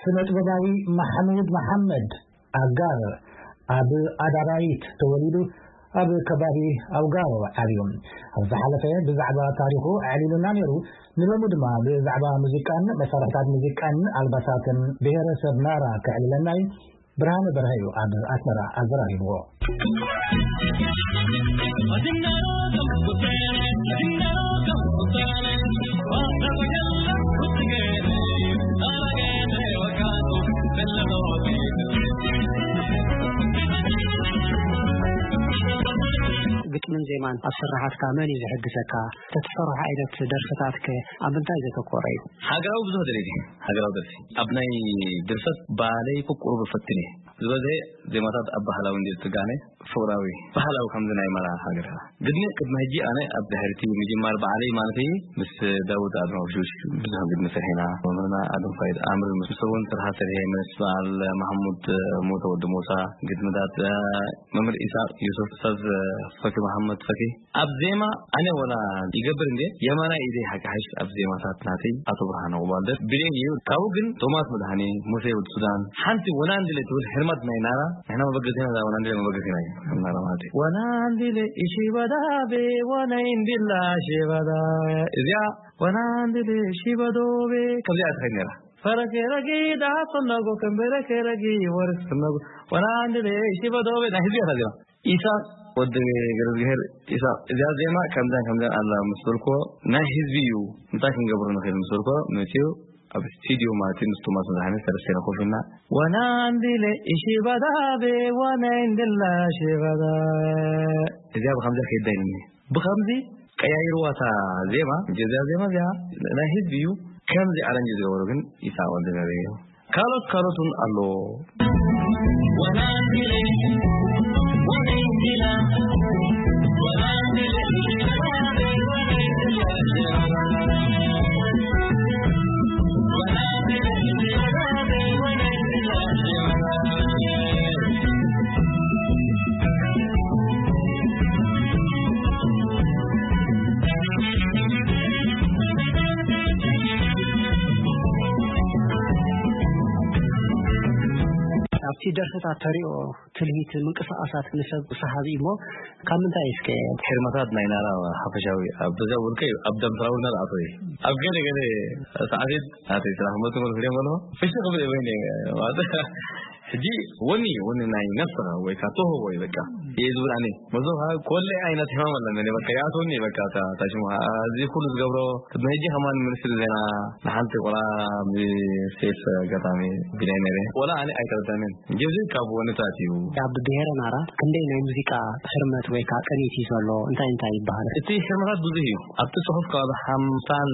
ስነ ጥበባዊ ማሕሙድ መሓመድ ኣጋር ኣብ ኣዳራይት ተወሊዱ ኣብ ከባቢ ኣውጋሮ ዓብዩ። ኣብ ዝሓለፈ ብዛዕባ ታሪኹ ኣዕሊሉና ነይሩ። ንሎሚ ድማ ብዛዕባ ሙዚቃን መሳርሕታት ሙዚቃን ኣልባሳትን ብሄረሰብ ናራ ከዕልለና እዩ። ብርሃነ በርሀ እዩ ኣብ ኣስመራ ኣዘራሪብዎ። ግጥምን ዜማን ኣብ ስራሓትካ መን እዩ ዝሕግዘካ? ተትሰርሖ ዓይነት ደርፍታትከ ኣብ ምንታይ ዘተኮረ እዩ? ሃገራዊ ብዙሕ ደረጀ፣ ሃገራዊ ደርፊ። ኣብ ናይ ድርሰት ባህለይ ቁቁሩ ብፈትን እየ። ዝበዝሐ ዜማታት ኣብ ባህላዊ እንድየ ዝትጋነ፣ ፍቕራዊ፣ ባህላዊ ከምዚ ናይ መራ ሃገርና። ግድሚ ቅድሚ ሕጂ ኣነ ኣብ ድሕርቲ ምጅማር በዓለይ ማለት እዩ፣ ምስ ዳውድ ኣድማውሹሽ ብዙሕ ግድሚ ሰሒና፣ መምህርና ኣድም ፋይድ ኣምር ምስ ሰቦን ስርሓ ሰሪሐ፣ ምስ በዓል ማሕሙድ ሞተ ወዲ ሞሳ ግድምታት፣ መምህር ኢሳቅ ዩሱፍ፣ ኡስታዝ ፈኪ መሓመድ ፈኪ። ኣብ ዜማ ኣነ ወላ ይገብር እንዴ፣ የማናይ ኢደይ ሓቂ ሓሽ ኣብ ዜማታት ናተይ ኣቶ ብርሃነ ቁባልደር ብሌን እዩ። ካብኡ ግን ቶማስ መድሃኔ፣ ሙሴ ወዲ ሱዳን፣ ሓንቲ ወናንድለ ትብል ህርመት ናይ ናራ፣ ንሕና መበገሲና እዛ ወናንድለ መበገሲና እዩ። ከም ናራ ማለት እዩ። ወናንድለ ኢሺባዳቤ ወናይ እንድላ ሺባዳ። እዚኣ ወናንድለ ሺባዶቤ ከምዚኣ ትኸይድ ነራ። ፈረኬ ረጊ ዳጽነጎ ከንበረኬ ረጊ ወርስነጎ ወናንድለ ሺባዶቤ ናይ ህዝቢ እያ እዛ ዜማ። ኢሳቅ ወዲ ገረዝግሄር ኢሳቅ፣ እዚኣ ዜማ ከምዛን ከምዛን ኣላ ምስ በልክዎ፣ ናይ ህዝቢ እዩ፣ እንታይ ክንገብሮ ንኽእል ምስ በልክዎ፣ መጺኡ ኣብ ስቱድዮ ማለት እዩ፣ ምስ ቶማስ መድሃኔ ሰለስቴና ኮፍ ኢልና፣ ወናንዲለ ኢሺባዳቤ፣ ወናንዲላ ሺባዳ። እዚኣ ብኸምዚኣ ከይዳ ኢሉኒ። ብኸምዚ ቀያይርዋ እታ ዜማ፣ እዚኣ ዜማ እዚኣ ናይ ህዝቢ እዩ፣ ከምዚ ኣረንጅ ዝገበሩ ግን ኢሳቅ ወዲ ገረዝግሄር እዩ። ካልኦት ካልኦት እውን ኣሎ። ኣብቲ ደርፍታት ተሪኦ ትልሂት ምንቅስቃሳት ንሰብ ሰሓቢ እሞ ካብ ምንታይ እስከ? ሄርመታት ናይ ናራ ሓፈሻዊ ኣብ በዛ ውልቀ ኣብ ደምስራዊ ናራ ኣቶ ኣብ ገለ ገለ ሰዓት ናተይ ስራሕ መጥቶ ክሪኦ ከሎ ፍሽ ክብል ወይ ማለት ሕጂ ወኒ ወኒ ናይ ነፍስኻ ወይ ካብ ተውህቦ እዩ በቃ እየ ዝብል ኣነ መዞ ኮለ ዓይነት ሕማም ኣለኒ በቃ ያቶኒ በቃ ታሽሙ እዚ ኩሉ ዝገብሮ ቅድሚ ሕጂ ከማን ሚኒስትሪ ዜና ንሓንቲ ቆልዓ ብሴፍ ኣጋጣሚ ቢላይ ነይረ። ወላ ኣነ ኣይተረዳንን። እንጂ እዚ ካብ ወንታት እዩ። ኣብ ብሄረ ናራ ክንደይ ናይ ሙዚቃ ህርመት ወይ ከዓ ቅኒት እዩ ዘሎ? እንታይ እንታይ ይበሃል? እቲ ህርመታት ብዙሕ እዩ። ኣብቲ ጽሑፍ ካብ ሓምሳን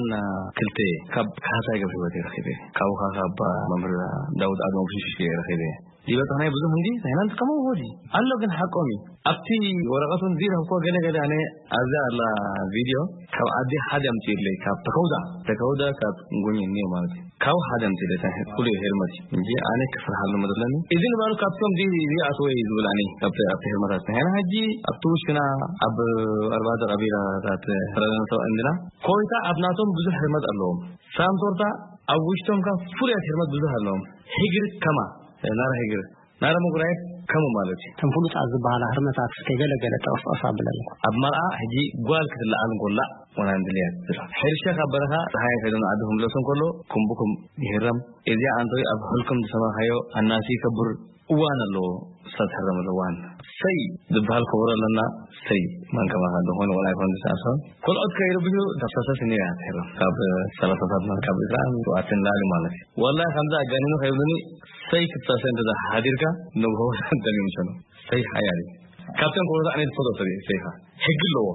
ክልተ ካብ ካህሳይ ገብረ ህይወት እየ ረኺበ። ካብኡ ከዓ ካብ መምህር ዳውድ ኣድማው ሽሽሽ እየ ረኺበ። ዝበጽሐናይ ብዙሕ እንዲ ናይና ንጥቀሞ ወዲ ኣሎ ግን ሓቆም እዩ። ኣብቲ ወረቐት እውን ዝረኸብኩዎ ገለ ገለ ኣነ ኣብዛ ኣላ ቪድዮ ካብ ዓዲ ሓደ ኣምፅእለይ ካብ ተከውዳ ተከውዳ ካብ ጉኝ እኒኦ ማለት እዩ። ካብ ሓደ ኣምፅእለይ እንታይ ፍሉይ ሄርመት እዩ እንጂ ኣነ ክስርሓሉ መደለኒ እዚ ንባሉ ካብቶም ዚ ዝኣትወ እዩ ዝብል ኣነ ካብቲ ኣብቲ ሄርመታት ንሕና ሕጂ ኣብቲ ውሽና ኣብ ኣርባዕተ ቀቢላታት ተረጋግቶ እንድና ኮይታ ኣብ ናቶም ብዙሕ ሄርመት ኣለዎም ሳንቶርታ ኣብ ውሽቶም ካብ ፍሉያት ሄርመት ብዙሕ ኣለዎም ሂግር ከማ ናራ ሄግር ናራ ምጉራየት ከምኡ ማለት እዩ። እተን ፍሉጣት ዝበሃላ ህርመታት እስከ ገለ ገለ ጠቕስ ጠቕስ ኣብለኒ። ኣብ መርዓ ሕጂ ጓል ክትለዓል እንኮላ ወናንድልያ ትብላ። ሕርሻ ካብ በረኻ ፀሓይ ከይዱ ንዓዲ ክምለሱ እንከሎ ኩምብኩም ይህረም። እዚኣ ኣንቶይ ኣብ ሕልኩም ዝሰማኻዮ ኣናሲ ይከብር እዋን ኣለዎ። እሳ ትሕረመሉ እዋን ሰይ ዝበሃል ከበሮ ኣለና። ሰይ መን ከማኻ ዝኾነ ወላ ኣይኮን ዝሰዓሶ ካልኦት ከይርብሑ ተፍሳሰስ እኒኣ ትሕረም ካብ ሰላሳታት ናብ ካብ ዕስራን ሸውዓተን ንላዕሊ ማለት እዩ። ወላሂ ከምዚ ኣጋኒኑ ከይብሉኒ ሰይ ክትሳሰ እንተ ሓዲርካ ንግሆ ደሚምሰኑ ሰይ ሓያል እዩ። ካብቶም ከበሮ ኣነ ዝፈትዎ ሰብ እዩ ሰይኻ ሕጊ ኣለዎ።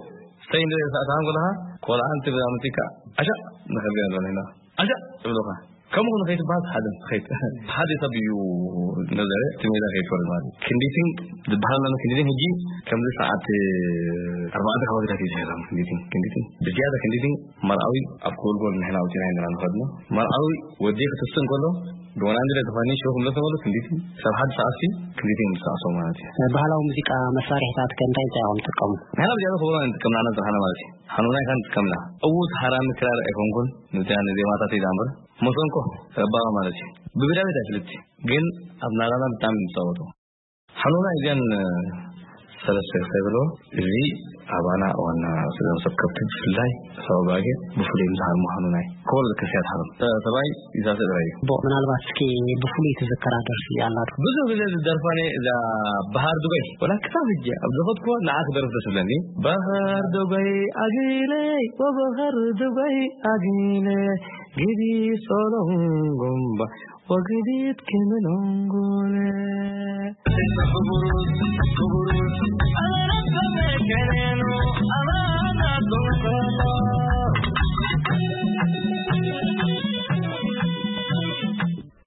ሰይ እንደ ሰዓት ከለኻ ቆልዓ እንትብል ኣምጺካ ኣሻ ንኸልገ ኣለና ኣሻ ይብሉኻ ከምኡ ንኸይትበሃል ሓደ ንኸይት ሓደ ሰብ እዩ ነዘረ እቲ ሜዳ ከይትወርድ ማለት እዩ። ክንዲትን ዝበሃል ኣሎ ክንዲትን ሕጂ ከምዚ ሰዓት ኣርባዕተ ከባቢታት እዩ ዝሕረም ክንዲትን ክንዲትን ብዝያዳ ክንዲትን መርዓዊ ኣብ ክጎልጎል ንሕና ኣውፂና ኢና ንኸድኖ መርዓዊ ወዲ ክትስእ እንከሎ ብወናንድለ ዝኾነ ሽሮ ክምለስ ከሎ ክንዲትን ሰብ ሓደ ሰዓት ክንዲትን ምሳዕሶ ማለት እዩ። ባህላዊ ሙዚቃ መሳርሕታት ከ እንታይ እንታይ እዮም ትጥቀሙ? ንሕና ብዝያዳ ክብሮ ንጥቀም ንዓና ዝረሓና ማለት እዩ። ሓኑናይ ካን ትከምላ። እውት ሃራሚ ክራር ኣይኮንኩን፣ ንዚያ ንዜማታት ኢላ እምበር። መሰንቆ፣ ረባባ ማለት እዩ። ብግዳቤት ኣይፍልጥ፣ ግን ኣብ ናራና ብጣዕሚ ይጻወቱ። ሓኑናይ ግን ሰለስተ ክሳይ ብሎ፣ እዚ ኣባና ዋና ስለ ሰብ ከብቲ ብፍላይ ሰብ ኣባጌ ብፍሉይ ምስ ሓርሙ ሓኑናይ። ኮል ከስያት ሓርም። ሰባይ ይዛዘ ጥራይ እዩ። ቦ-፣ ምናልባት እስኪ ብፍሉይ ትዝከራ ደርፊ ኣላ ዶ? ብዙ ግዜ ዝደርፋኒ እዛ ባህር ዱባይ፣ ወላ ክሳብ ሕጂ ኣብ ዝኸድኩዎ ንዓ ክደርፍ ደስ ይብለኒ። ባህር ዱባይ ኣጊለይ፣ ወባህር ዱባይ ኣጊለ፣ ግዲ ሶሎንጎምባ፣ ወግዲት ክምሎንጎለ።